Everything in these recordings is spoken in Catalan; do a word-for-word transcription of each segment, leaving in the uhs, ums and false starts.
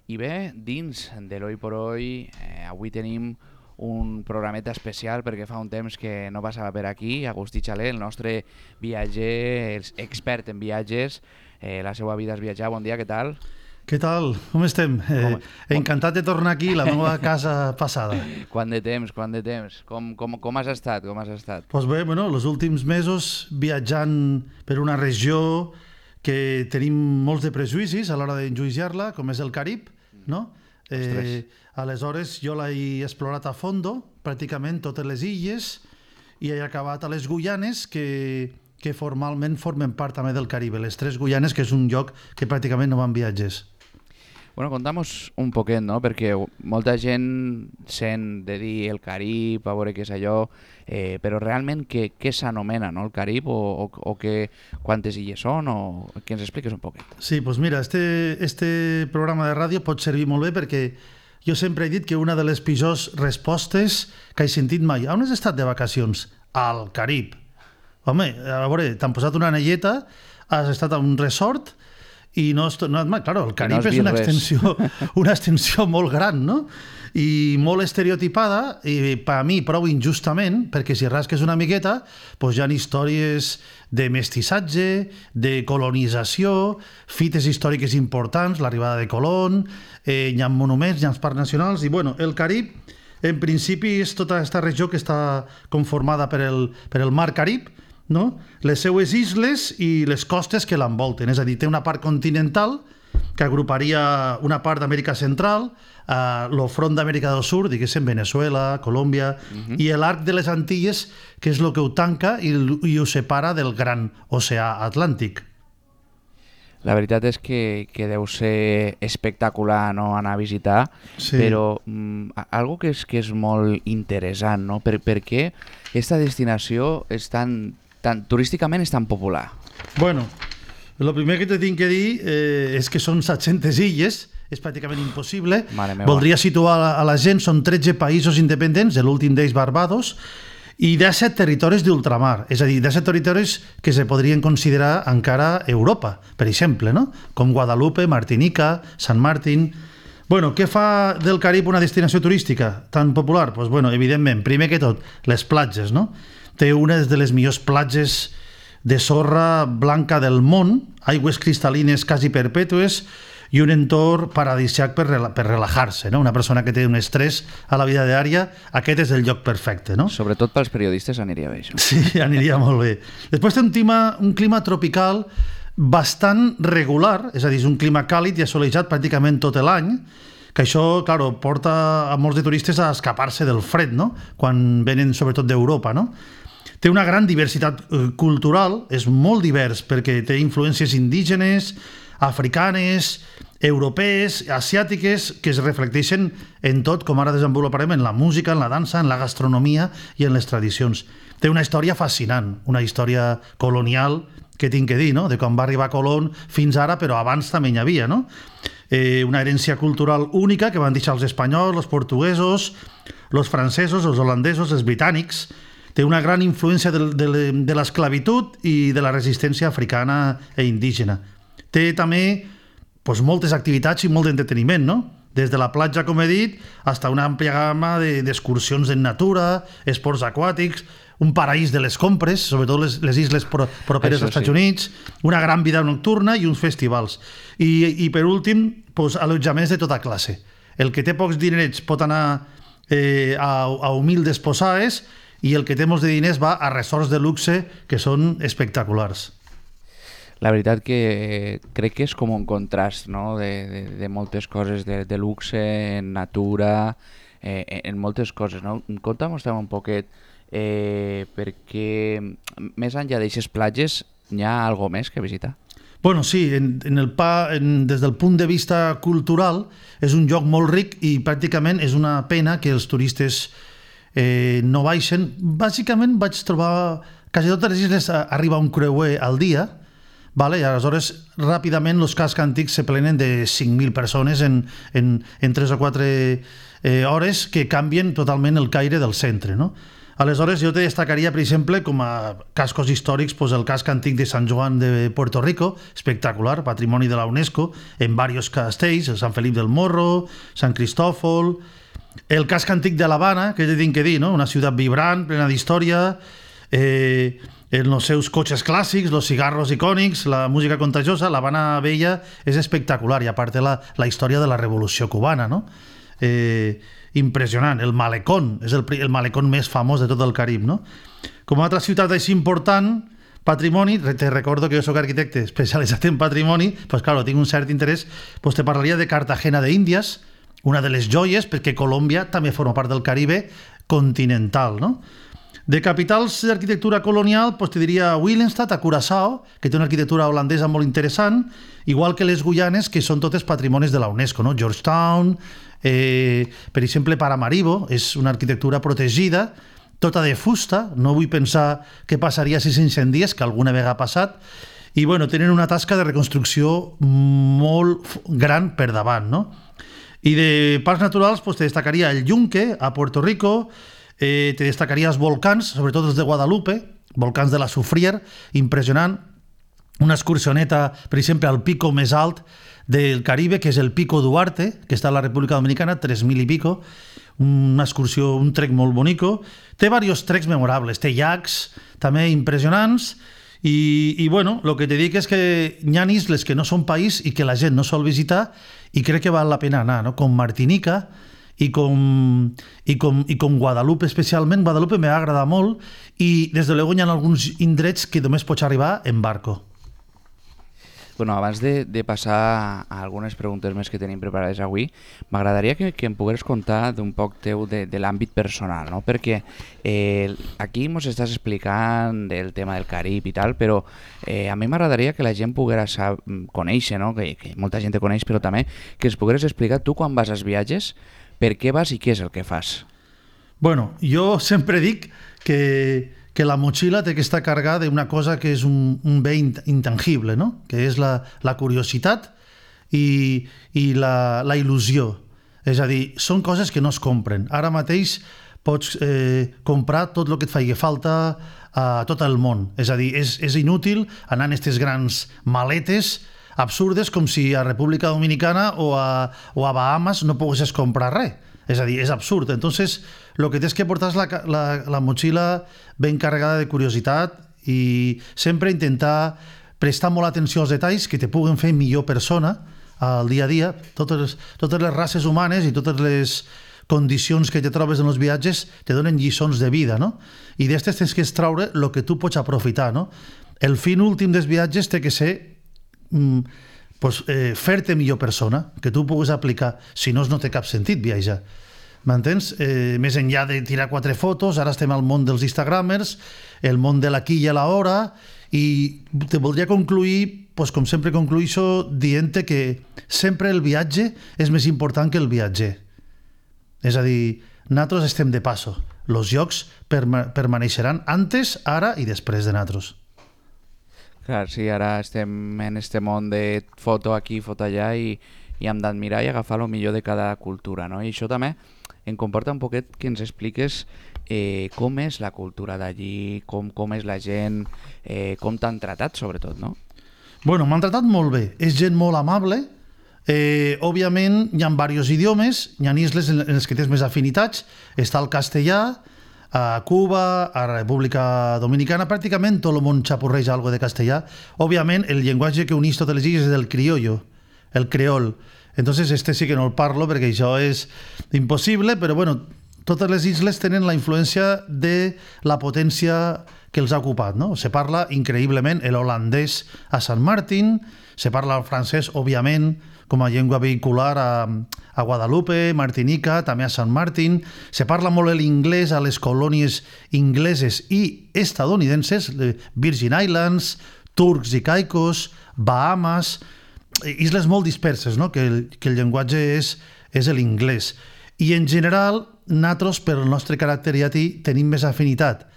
I bé, dins de l'Hoy por Hoy, eh, avui tenim un programeta especial perquè fa un temps que no passava per aquí. Agustí Xaler, el nostre viatger, expert en viatges, eh, la seva vida és viatjar. Bon dia, què tal? Què tal? Com estem? Eh, encantat de tornar aquí, la meva casa passada. Quant de temps, quant de temps. Com, com, com has estat? Com has estat? Pues bé, bueno, els últims mesos viatjant per una regió que tenim molts de prejudicis a l'hora d'enjuiciar-la, com és el Carib, no? Eh, aleshores jo l'he explorat a fondo, pràcticament totes les illes, i he acabat a les Guyanes, que, que formalment formen part també del Caribe, les tres Guyanes, que és un lloc que pràcticament no van viatges. Bueno, contamos un poquet, no? Perquè molta gent sent de dir el Carib, a veure què és allò, eh, però realment què, què s'anomena, no? El Carib, o, o, o que, quantes illes són, o que ens expliques un poquet. Sí, doncs mira, este, este programa de ràdio pot servir molt bé perquè jo sempre he dit que una de les pitjors respostes que he sentit mai: on has estat de vacacions? Al Carib. Home, a veure, t'han posat una anelleta, has estat a un resort i no has tornat mai. Claro, el Carib no és una extensió, una extensió molt gran, no? I molt estereotipada, i per a mi prou injustament, perquè si rasques una miqueta, doncs hi ha històries de mestissatge, de colonització, fites històriques importants, l'arribada de Colón, eh, hi ha monuments, hi ha parcs nacionals, i bueno, el Carib, en principi, és tota aquesta regió que està conformada per el, per el mar Carib, no? Les seues isles i les costes que l'envolten, és a dir, té una part continental que agruparia una part d'Amèrica Central, eh, el front d'Amèrica del Sur, diguéssim, Venezuela, Colòmbia, uh-huh. i l'arc de les Antilles, que és el que ho tanca i, i ho separa del gran oceà Atlàntic. La veritat és que, que deu ser espectacular, no?, anar a visitar, sí. Però mm, algo que és, que és molt interessant, no? Per, per què aquesta destinació és tan, tan, turísticament és tan popular? Bueno, el primer que te tinc que dir eh, és que són set-centes illes, és pràcticament impossible. Voldria situar a la gent, són tretze països independents, l'últim d'ells Barbados, i disset territoris d'ultramar, és a dir, disset territoris que se podrien considerar encara Europa, per exemple, no? Com Guadalupe, Martinica, Sant Martín. Bueno, què fa del Carib una destinació turística tan popular? Pues bueno, evidentment, primer que tot, les platges, no? Té una de les millors platges de sorra blanca del món, aigües cristal·lines quasi perpètues i un entorn paradisíac per, rela per relajar-se, no? Una persona que té un estrès a la vida diària, aquest és el lloc perfecte, no? Sobretot pels periodistes aniria bé, això. Sí, aniria molt bé. Després té un clima, un clima tropical bastant regular, és a dir, és un clima càlid i assolejat pràcticament tot l'any, que això, claro, porta a molts de turistes a escapar-se del fred, no? Quan venen sobretot d'Europa, no? Té una gran diversitat eh, cultural, és molt divers perquè té influències indígenes, africanes, europees, asiàtiques, que es reflecteixen en tot, com ara desenvoluparem, en la música, en la dansa, en la gastronomia i en les tradicions. Té una història fascinant, una història colonial, que tinc que dir, no? De quan va arribar Colón fins ara, però abans també hi havia, no? Eh, una herència cultural única que van deixar els espanyols, els portuguesos, els francesos, els holandesos, els britànics. Té una gran influència de, de, de l'esclavitud i de la resistència africana i indígena. Té també pues, moltes activitats i molt d'entreteniment, no? Des de la platja, com he dit, fins a una àmplia gamma d'excursions en natura, esports aquàtics, un paraís de les compres, sobretot les, les isles pro, properes als Estats sí. Units, una gran vida nocturna i uns festivals. I, i per últim, pues, allotjaments de tota classe. El que té pocs dinerets pot anar eh, a, a humildes posades i el que té molts de diners va a resorts de luxe que són espectaculars. La veritat que crec que és com un contrast, no? de, de, de moltes coses, de, de luxe, en natura, eh, en moltes coses. No? Conta'm un poquet, eh, perquè més enllà d'aixes platges hi ha alguna més que visitar? Bueno, sí, en, en el pa, en, des del punt de vista cultural és un lloc molt ric i pràcticament és una pena que els turistes eh, no baixen. Bàsicament vaig trobar quasi totes les isles arriba un creuer al dia, vale? I aleshores ràpidament els cascs antics se plenen de cinc mil persones en, en, en tres o quatre eh, hores que canvien totalment el caire del centre, no? Aleshores, jo te destacaria, per exemple, com a cascos històrics, pues, el casc antic de Sant Joan de Puerto Rico, espectacular, patrimoni de la UNESCO, en diversos castells, el Sant Felip del Morro, Sant Cristòfol, el casc antic de l'Havana, que ja tinc que dir, no? Una ciutat vibrant, plena d'història, eh, en els seus cotxes clàssics, los cigarros icònics, la música contagiosa, l'Havana Vella és espectacular, i a part la, la història de la Revolució Cubana, no? Eh, impressionant, el Malecón és el, el Malecón més famós de tot el Carib, no? Com a altra ciutat així important, patrimoni, te recordo que jo soc arquitecte especialitzat en patrimoni, pues claro, tinc un cert interès, pues te parlaria de Cartagena de Índies, una de les joies, perquè Colòmbia també forma part del Caribe continental, no? De capitals d'arquitectura colonial, pues te diria Willemstad, a Curaçao, que té una arquitectura holandesa molt interessant, igual que les Guyanes, que són totes patrimonis de la UNESCO, no? Georgetown, eh, per exemple, Paramaribo, és una arquitectura protegida, tota de fusta, no vull pensar què passaria si s'incendies, que alguna vegada ha passat, i bueno, tenen una tasca de reconstrucció molt gran per davant, no? I de parcs naturals, pues te destacaria el Yunque, a Puerto Rico, Eh, te destacaria els volcans, sobretot els de Guadalupe, volcans de la Soufrière, impressionant, una excursioneta, per exemple, al pico més alt del Caribe, que és el Pico Duarte, que està a la República Dominicana, tres mil i pico, una excursió, un trek molt bonico, té diversos treks memorables, té llacs també impressionants, i, i bueno, el que te dic és que hi ha isles que no són país i que la gent no sol visitar, i crec que val la pena anar, no? Com Martinica, i com, i, com, i com Guadalupe especialment. Guadalupe m'ha agradat molt i des de luego hi ha alguns indrets que només pots arribar en barco. Bueno, abans de, de passar a algunes preguntes més que tenim preparades avui, m'agradaria que, que em pogués contar d'un poc teu de, de l'àmbit personal, no? Perquè eh, aquí ens estàs explicant del tema del Carib i tal, però eh, a mi m'agradaria que la gent pogués conèixer, no? que, que molta gent te coneix, però també que ens pogués explicar tu quan vas als viatges, per què vas i què és el que fas? Bueno, jo sempre dic que, que la motxilla té que estar carregada d'una cosa que és un, un bé intangible, no? Que és la, la curiositat i, i la, la il·lusió. És a dir, són coses que no es compren. Ara mateix pots eh, comprar tot el que et faci falta a tot el món. És a dir, és, és inútil anar en aquestes grans maletes absurdes com si a República Dominicana o a, o a Bahamas no poguessis comprar res. És a dir, és absurd. Entonces, el que tens que portar és la, la, la motxilla ben carregada de curiositat i sempre intentar prestar molt atenció als detalls que te puguen fer millor persona al dia a dia. Totes, totes les races humanes i totes les condicions que te trobes en els viatges te donen lliçons de vida, no? I d'estes tens que extraure el que tu pots aprofitar, no? El fin últim dels viatges té que ser Mm, pues, eh, fer-te millor persona, que tu puguis aplicar, si no no té cap sentit viatjar, m'entens? Eh, més enllà de tirar quatre fotos, ara estem al món dels instagramers, el món de l'aquí i a l'hora, i te voldria concluir, pues, com sempre concluïixo, dient-te que sempre el viatge és més important que el viatger. És a dir, nosaltres estem de passo, els llocs perma- permaneixeran antes, ara i després de nosaltres. Clar, sí, ara estem en este món de foto aquí, foto allà i, i hem d'admirar i agafar el millor de cada cultura, no? I això també em comporta un poquet que ens expliques eh, com és la cultura d'allí, com, com és la gent, eh, com t'han tratat sobretot, no? Bueno, m'han tratat molt bé, és gent molt amable, eh, òbviament hi ha diversos idiomes, hi ha isles en les que tens més afinitats, està el castellà, a Cuba, a la República Dominicana, pràcticament tot el món xapurreja algo de castellà. Òbviament, el llenguatge que uneix totes les illes és el criollo, el creol. Entonces, este sí que no el parlo perquè això és impossible, però bueno, totes les isles tenen la influència de la potència que els ha ocupat, no? Se parla increïblement el holandès a Sant Martin, se parla el francès, òbviament, com a llengua vehicular a, a Guadalupe, Martinica, també a Sant Martin. Se parla molt l'inglès a les colònies ingleses i estadounidenses, Virgin Islands, Turcs i Caicos, Bahamas, isles molt disperses, no? que, el, que el llenguatge és, és l'inglès. I en general, nosaltres, per el nostre caràcter llatí, tenim més afinitat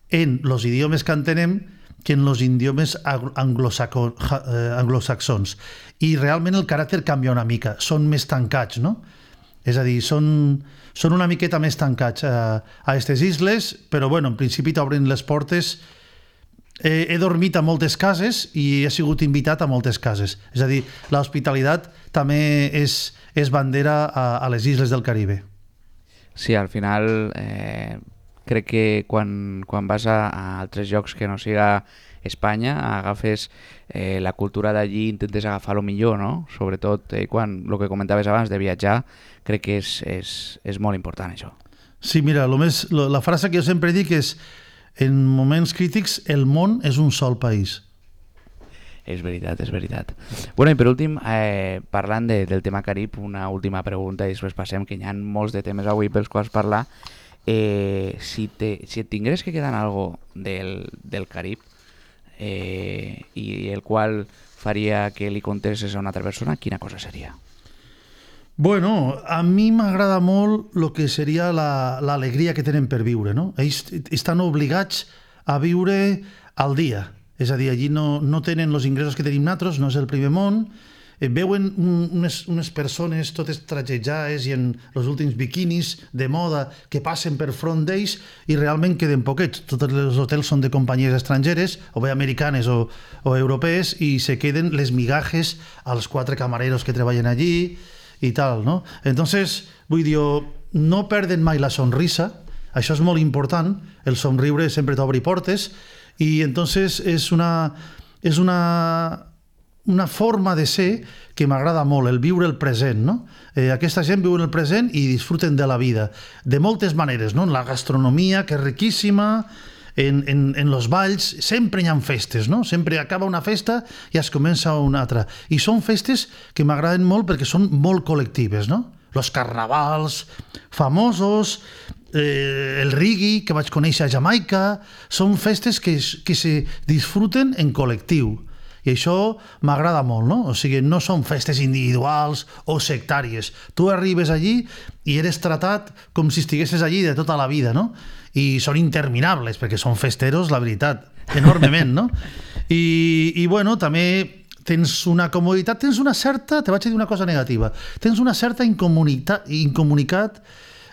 en els idiomes que entenem que en els idiomes anglosaxons. I realment el caràcter canvia una mica, són més tancats, no? És a dir, són, són una miqueta més tancats a aquestes isles, però bueno, en principi t'obren les portes. He, he dormit a moltes cases i he sigut invitat a moltes cases. És a dir, l'hospitalitat també és, és bandera a, a les isles del Caribe. Sí, al final eh, crec que quan, quan vas a, a altres llocs que no siga Espanya, agafes eh, la cultura d'allí, intentes agafar lo millor, no? Sobretot eh, quan el que comentaves abans de viatjar, crec que és, és, és molt important això. Sí, mira, lo més, lo, la frase que jo sempre dic és en moments crítics el món és un sol país. És veritat, és veritat. Bueno, i per últim, eh, parlant de, del tema Carib, una última pregunta i després passem, que hi ha molts de temes avui pels quals parlar. Eh, si, te, si et tingués que quedar algo del, del Carib eh, i el qual faria que li contestes a una altra persona, quina cosa seria? Bueno, a mi m'agrada molt el que seria l'alegria la, que tenen per viure, no? Ells estan obligats a viure al dia. És a dir, allí no, no tenen els ingressos que tenim nosaltres, no és el primer món, eh, veuen un, unes, unes persones totes tragejades i en els últims biquinis de moda que passen per front d'ells i realment queden poquets. Tots els hotels són de companyies estrangeres, o bé americanes o, o europees, i se queden les migajes als quatre camareros que treballen allí i tal, no? Entonces, vull dir, no perden mai la sonrisa, això és molt important, el somriure sempre t'obri portes, i entonces és una, és una, una forma de ser que m'agrada molt, el viure el present, no? Eh, aquesta gent viu el present i disfruten de la vida, de moltes maneres, no? La gastronomia, que és riquíssima, en, en, en los balls, sempre hi ha festes, no? Sempre acaba una festa i es comença una altra. I són festes que m'agraden molt perquè són molt col·lectives, no? Los carnavals famosos, eh, el reggae que vaig conèixer a Jamaica, són festes que, que se disfruten en col·lectiu. I això m'agrada molt, no? O sigui, no són festes individuals o sectàries. Tu arribes allí i eres tratat com si estiguessis allí de tota la vida, no? I són interminables, perquè són festeros, la veritat, enormement, no? I, i bueno, també tens una comoditat, tens una certa, te vaig dir una cosa negativa, tens una certa incomunitat, incomunicat,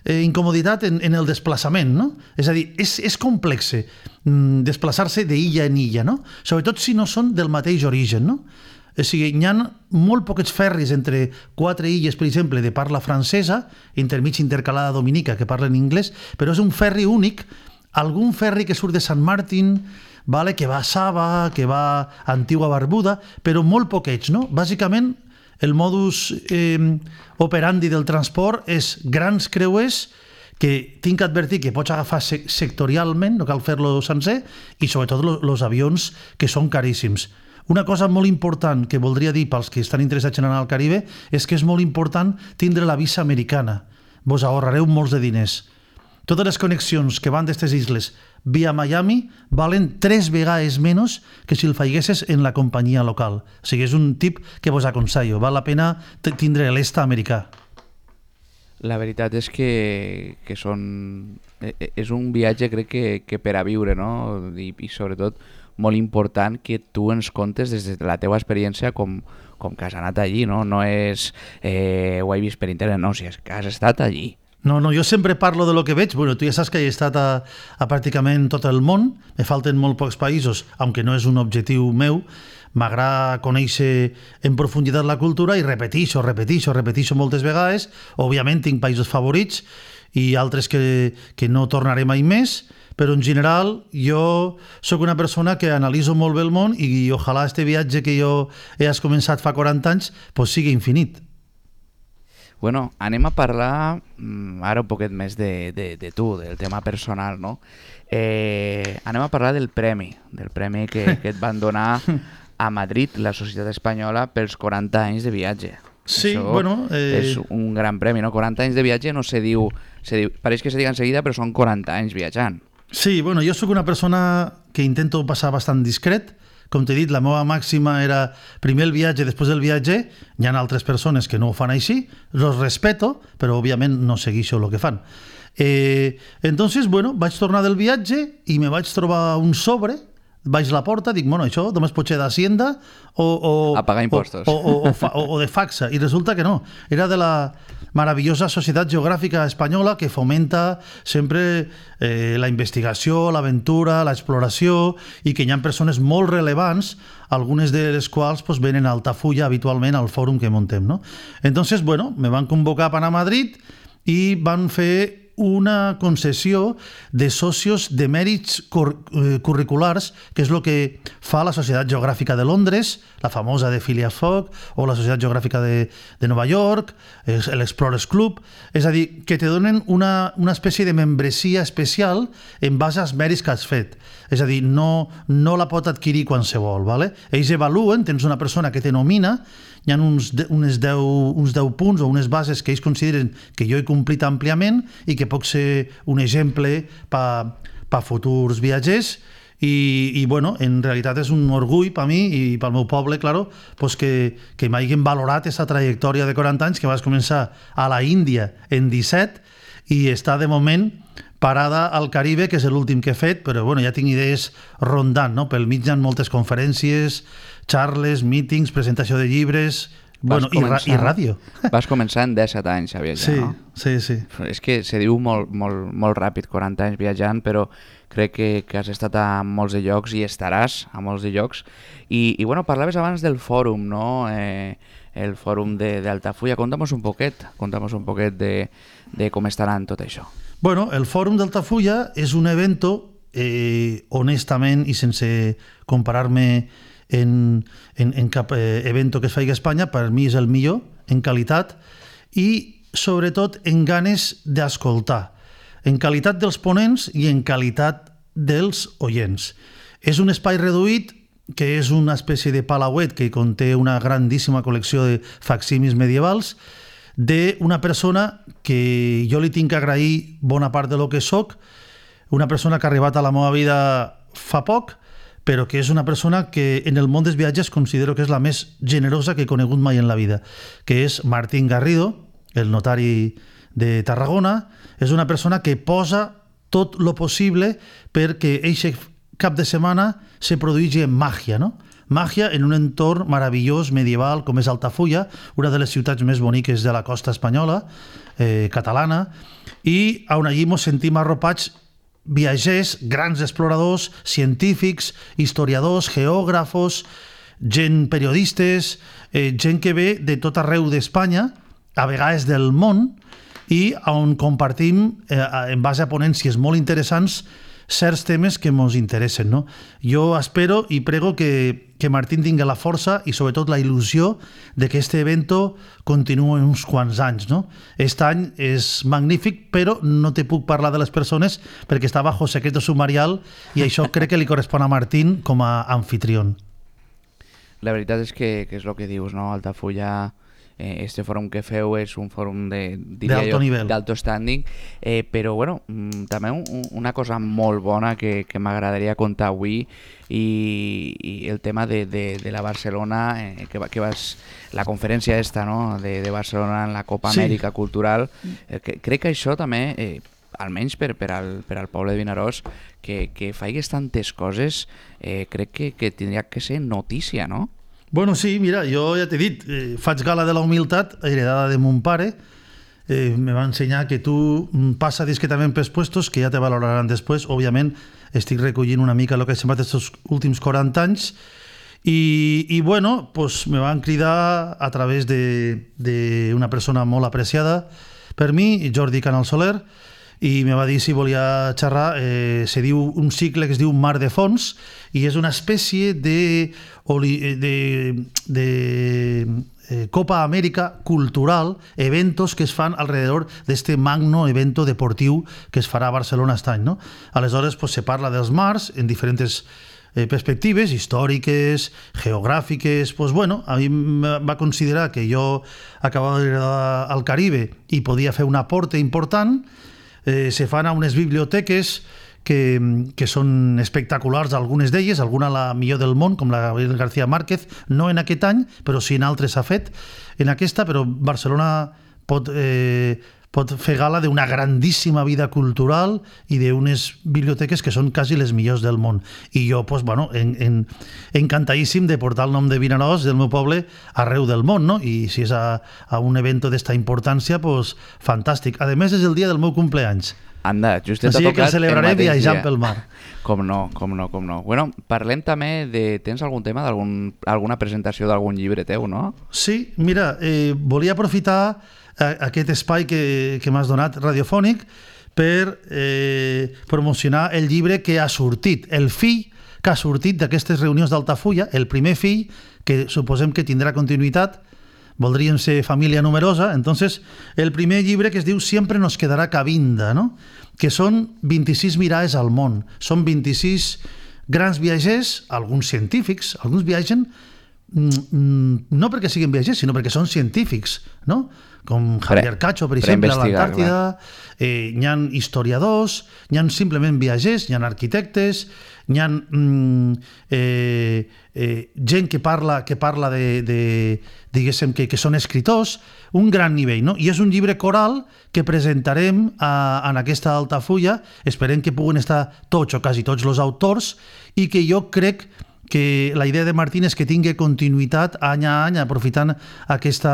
eh, incomoditat en, en el desplaçament, no? És a dir, és, és complexe mm, desplaçar-se d'illa en illa, no? Sobretot si no són del mateix origen, no? O sigui, hi ha molt poquets ferris entre quatre illes, per exemple, de parla francesa, intermig intercalada dominica, que parlen anglès, però és un ferri únic, algun ferri que surt de Sant Martin, vale, que va a Saba, que va a Antigua Barbuda, però molt poquets, no? Bàsicament, el modus eh, operandi del transport és grans creuers que tinc que advertir que pots agafar sectorialment, no cal fer-lo sencer, i sobretot els avions que són caríssims. Una cosa molt important que voldria dir pels que estan interessats en anar al Caribe és que és molt important tindre la visa americana. Vos ahorrareu molts de diners. Totes les connexions que van d'aquestes isles via Miami valen tres vegades menys que si el faiguessis en la companyia local. O sigui, és un tip que vos aconsello. Val la pena tindre l'est americà. La veritat és que, que són... és un viatge, crec, que, que per a viure, no? I, i sobretot molt important que tu ens contes des de la teua experiència com, com que has anat allí, no? No és eh, ho he vist per internet, no, si és que has estat allí. No, no, jo sempre parlo de lo que veig. Bueno, tu ja saps que he estat a, a pràcticament tot el món, me falten molt pocs països, aunque no és un objectiu meu. M'agrada conèixer en profunditat la cultura i repetixo, repetixo, repetixo moltes vegades. Òbviament tinc països favorits i altres que, que no tornaré mai més, però en general jo sóc una persona que analitzo molt bé el món i ojalà este viatge que jo he començat fa quaranta anys pues sigui infinit. Bueno, anem a parlar ara un poquet més de, de, de tu, del tema personal, no? Eh, anem a parlar del premi, del premi que, que et van donar a Madrid, la Societat Espanyola, pels quaranta anys de viatge. Sí, Això bueno... Eh... és un gran premi, no? quaranta anys de viatge no se diu... Se diu pareix que se diga enseguida, però són quaranta anys viatjant. Sí, bueno, jo sóc una persona que intento passar bastant discret. Com t'he dit, la meva màxima era primer el viatge, després el viatge. Hi ha altres persones que no ho fan així, los respeto, però òbviament no segueixo el que fan. Eh, entonces, bueno, vaig tornar del viatge i me vaig trobar un sobre vaig a la porta, dic, bueno, això només pot ser d'Hacienda o, o, a pagar impostos. O, o, o, o, o de Faxa. I resulta que no. Era de la maravillosa Societat Geogràfica Espanyola que fomenta sempre eh, la investigació, l'aventura, l'exploració i que hi ha persones molt relevants, algunes de les quals pues, venen a Altafulla habitualment al fòrum que montem. ¿no? Entonces, bueno, me van convocar per anar a Madrid i van fer una concessió de socios de mèrits cur eh, curriculars, que és el que fa la Societat Geogràfica de Londres, la famosa de Phileas Fogg, o la Societat Geogràfica de, de Nova York, l'Explorers Club, és a dir, que te donen una, una espècie de membresia especial en base als mèrits que has fet. És a dir, no, no la pot adquirir qualsevol. ¿vale? Ells evaluen, tens una persona que te nomina, hi ha uns, de, unes deu, uns deu punts o unes bases que ells consideren que jo he complit àmpliament i que puc ser un exemple per pa futurs viatgers i, i bueno, en realitat és un orgull per mi i pel meu poble, claro, pues que, que m'hagin valorat aquesta trajectòria de quaranta anys que vas començar a la Índia en disset i està de moment parada al Caribe, que és l'últim que he fet, però bueno, ja tinc idees rondant, no? Pel mig hi ha moltes conferències, charles, mítings, presentació de llibres, bueno, i, ra i ràdio. Vas començar en disset anys a viatjar, sí, no? Sí, sí. És que se diu molt, molt, molt ràpid, quaranta anys viatjant, però crec que, que has estat a molts de llocs i estaràs a molts de llocs. I, i bueno, parlaves abans del fòrum, no? Eh, el fòrum d'Altafulla. Conta'm un poquet, conta'm un poquet de, de com estarà tot això. Bueno, el fòrum d'Altafulla és un evento, eh, honestament i sense comparar-me en, en, en cap eh, evento que es faci a Espanya, per mi és el millor en qualitat i sobretot en ganes d'escoltar, en qualitat dels ponents i en qualitat dels oients. És un espai reduït que és una espècie de palauet que conté una grandíssima col·lecció de facsímils medievals d'una persona que jo li tinc que agrair bona part de lo que soc, una persona que ha arribat a la meva vida fa poc, però que és una persona que en el món dels viatges considero que és la més generosa que he conegut mai en la vida, que és Martín Garrido, el notari de Tarragona. És una persona que posa tot lo possible perquè aquest cap de setmana se produïgi màgia, no? Màgia en un entorn meravellós, medieval, com és Altafulla, una de les ciutats més boniques de la costa espanyola, eh, catalana, i on allí ens sentim arropats viatgers, grans exploradors, científics, historiadors, geògrafos, gent periodistes, eh, gent que ve de tot arreu d'Espanya, a vegades del món, i on compartim, eh, en base a ponències molt interessants, certs temes que ens interessen. No? Jo espero i prego que, que Martín tingui la força i sobretot la il·lusió de que este evento continuï uns quants anys. No? Este any és magnífic, però no te puc parlar de les persones perquè està bajo secreto sumarial i això crec que li correspon a Martín com a anfitrión. La veritat és que, que és el que dius, no? Altafulla, eh, este fòrum que feu és un fòrum de, diria jo, d'alto standing, eh, però bueno, també un, una cosa molt bona que, que m'agradaria contar avui i, i el tema de, de, de la Barcelona, eh, que, que vas, la conferència esta, no? de, de Barcelona en la Copa Sí. Amèrica Cultural, eh, que, crec que això també, eh, almenys per, per, al, per al poble de Vinaròs, que, que faigues tantes coses, eh, crec que, que tindria que ser notícia, no? Bueno, sí, mira, jo ja t'he dit, eh, faig gala de la humilitat heredada de mon pare. Eh, me va ensenyar que tu mm, passa discretament pels puestos, que ja te valoraran després. Òbviament, estic recollint una mica el que he semblat aquests últims quaranta anys. I, i bueno, pues, me van cridar a través d'una persona molt apreciada per mi, Jordi Canal Soler, i me va dir si volia xerrar. Eh, se diu un cicle que es diu Mar de Fons i és una espècie de, de, de eh, Copa Amèrica cultural, eventos que es fan alrededor d'este magno evento deportiu que es farà a Barcelona aquest any. No? Aleshores pues, se parla dels mars en diferents eh, perspectives històriques, geogràfiques. Pues, bueno, a mi va considerar que jo acabava d'arribar al Caribe i podia fer un aporte important. Eh, se fan a unes biblioteques que, que són espectaculars, algunes d'elles, alguna la millor del món, com la Gabriel García Márquez, no en aquest any, però sí en altres s'ha fet. En aquesta, però Barcelona pot, eh, pot fer gala d'una grandíssima vida cultural i d'unes biblioteques que són quasi les millors del món. I jo, pues, bueno, en, en, encantadíssim de portar el nom de Vinaròs, del meu poble, arreu del món, no? I si és a, a un evento d'esta importància, pues, fantàstic. A més, és el dia del meu cumpleaños. Anda, just t'ha Així tocat que el celebraré el mateix viatjant dia. pel mar. Com no, com no, com no. Bueno, parlem també de... Tens algun tema d'algun alguna presentació d'algun llibre teu, no? Sí, mira, eh, volia aprofitar a, aquest espai que, que m'has donat radiofònic per eh, promocionar el llibre que ha sortit, el fill que ha sortit d'aquestes reunions d'Altafulla, el primer fill, que suposem que tindrà continuïtat, voldríem ser família numerosa, entonces el primer llibre que es diu Siempre nos quedará Cabinda, no? Que són vint-i-sis mirades al món, són vint-i-sis grans viatgers, alguns científics, alguns viatgen mm, no perquè siguin viatgers, sinó perquè són científics, no? Com Javier Cacho, per exemple, a l'Antàrtida, eh, n'hi ha historiadors, n'hi ha simplement viatgers, n'hi ha arquitectes, n'hi ha mm, eh, eh, gent que parla, que parla de, de diguéssim, que, que són escriptors, un gran nivell, no? I és un llibre coral que presentarem a, en aquesta Altafulla, esperem que puguen estar tots o quasi tots els autors, i que jo crec que la idea de Martín és que tingui continuïtat any a any, aprofitant aquesta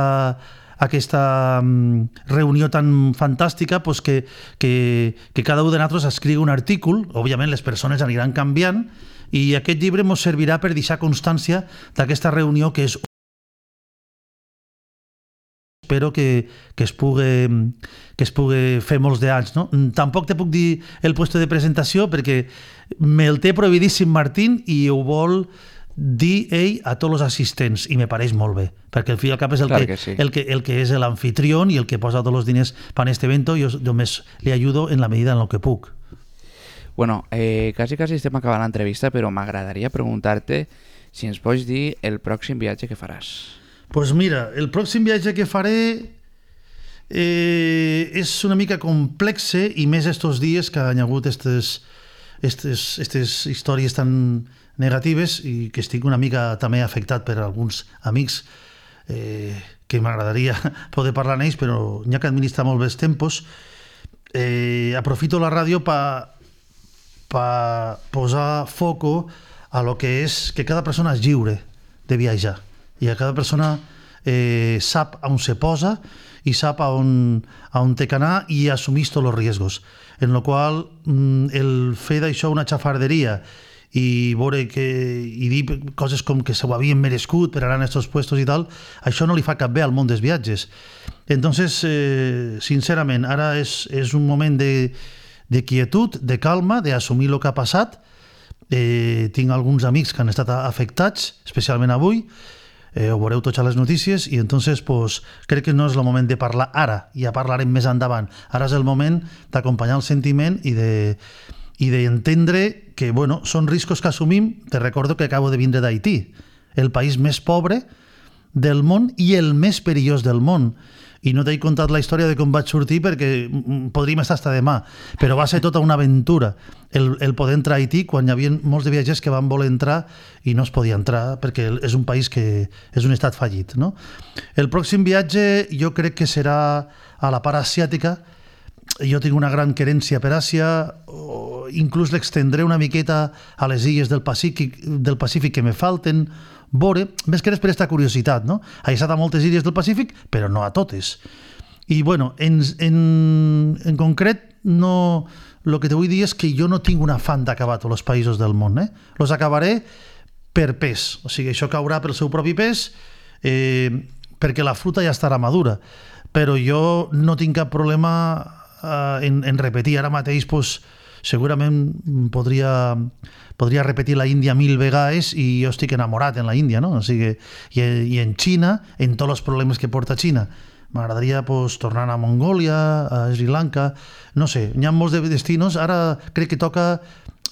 aquesta um, reunió tan fantàstica, pues que, que, que cada un de nosaltres escriu un artícul, òbviament les persones aniran canviant, i aquest llibre ens servirà per deixar constància d'aquesta reunió que és espero que, que, es pugui, que es pugui fer molts d'anys. No? Tampoc te puc dir el puesto de presentació perquè me'l té prohibidíssim Martín i ho vol dir ell a tots els assistents i me pareix molt bé, perquè al fi i al cap és el, claro que, que sí. el, que, el que és l'anfitrión i el que posa tots els diners per a este evento, jo només li ajudo en la medida en el que puc. Bueno, eh, quasi quasi estem acabant l'entrevista, però m'agradaria preguntar-te si ens pots dir el pròxim viatge que faràs. Pues mira, el pròxim viatge que faré eh, és una mica complexe i més estos dies que han hagut estes, estes, estes històries tan negatives i que estic una mica també afectat per alguns amics eh, que m'agradaria poder parlar amb ells, però n'hi ha que administrar molt bé els tempos. Eh, aprofito la ràdio per pa posar foco a lo que és que cada persona és lliure de viatjar i a cada persona eh, sap on se posa i sap a on, a on té que anar i assumís tots els riesgos. En la qual mm, el fer d'això una xafarderia i veure que i dir coses com que s'ho havien merescut per anar a aquests puestos i tal, això no li fa cap bé al món dels viatges. Entonces, eh, sincerament, ara és, és un moment de, de quietud, de calma, d'assumir el que ha passat. Eh, tinc alguns amics que han estat afectats, especialment avui, eh, ho veureu tots a les notícies, i entonces pues, crec que no és el moment de parlar ara, ja parlarem més endavant. Ara és el moment d'acompanyar el sentiment i de i d'entendre que, bueno, són riscos que assumim. Te recordo que acabo de vindre d'Haití, el país més pobre del món i el més perillós del món. I no t'he contat la història de com vaig sortir perquè podríem estar fins demà, però va ser tota una aventura el, el poder entrar a Haití quan hi havia molts de viatgers que van voler entrar i no es podia entrar perquè és un país que és un estat fallit. No? El pròxim viatge jo crec que serà a la part asiàtica. Jo tinc una gran querència per Àsia, o inclús l'extendré una miqueta a les illes del Pacífic, del Pacífic que me falten, veure, més que res per aquesta curiositat, no? He estat a moltes illes del Pacífic, però no a totes. I, bueno, en, en, en concret, no, el que te vull dir és que jo no tinc un afany d'acabar tots els països del món, eh? Los acabaré per pes, o sigui, això caurà pel seu propi pes, eh, perquè la fruta ja estarà madura, però jo no tinc cap problema Uh, en, en repetir. Ara mateix pues, segurament podria, podria repetir la Índia mil vegades i jo estic enamorat en la Índia, no? O sigui, i, i en Xina, en tots els problemes que porta Xina. M'agradaria pues, tornar a Mongòlia, a Sri Lanka, no sé, hi ha molts de destinos. Ara crec que toca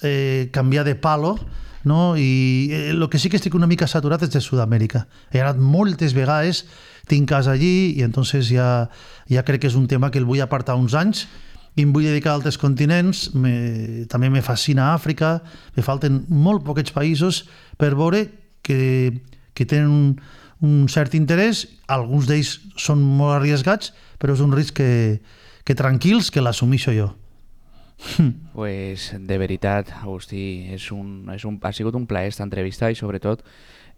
eh, canviar de palo, no? I eh, el que sí que estic una mica saturat és de Sud-amèrica. He anat moltes vegades, tinc casa allí i entonces ja, ja crec que és un tema que el vull apartar uns anys i em vull dedicar a altres continents. Me, també me fascina Àfrica, me falten molt poquets països per veure que, que tenen un, un cert interès. Alguns d'ells són molt arriesgats, però és un risc que, que tranquils, que l'assumixo jo. Pues de veritat, Agustí, és un, és un, ha sigut un plaer esta entrevista i sobretot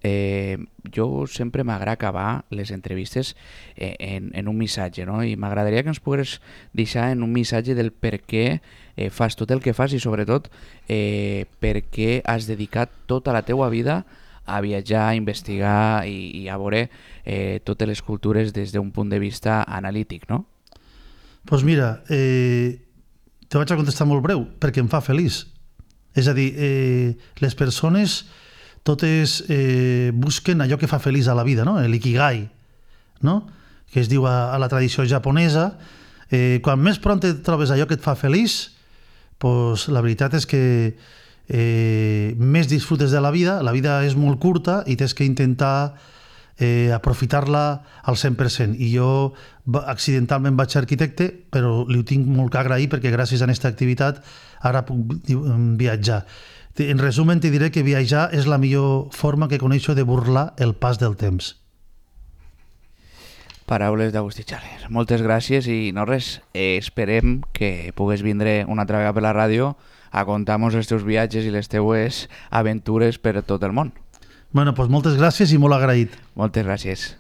eh, jo sempre m'agrada acabar les entrevistes eh, en, en un missatge, no? I m'agradaria que ens pogués deixar en un missatge del per què eh, fas tot el que fas i sobretot eh, per què has dedicat tota la teua vida a viatjar, a investigar i, i a veure eh, totes les cultures des d'un punt de vista analític, no? Doncs pues mira, eh, te vaig a contestar molt breu, perquè em fa feliç. És a dir, eh, les persones totes eh, busquen allò que fa feliç a la vida, no? L'ikigai, no? Que es diu a, a la tradició japonesa. Eh, quan més pront et trobes allò que et fa feliç, pues, la veritat és que eh, més disfrutes de la vida. La vida és molt curta i tens que intentar eh, aprofitar-la al cent per cent. I jo accidentalment vaig ser arquitecte, però li ho tinc molt que agrair perquè gràcies a aquesta activitat ara puc viatjar. En resum, te diré que viatjar és la millor forma que coneixo de burlar el pas del temps. Paraules d'Agustí Xaler. Moltes gràcies i no res, eh, esperem que pugues vindre una altra vegada per la ràdio a contar-nos els teus viatges i les teues aventures per tot el món. Bueno, doncs moltes gràcies i molt agraït. Moltes gràcies.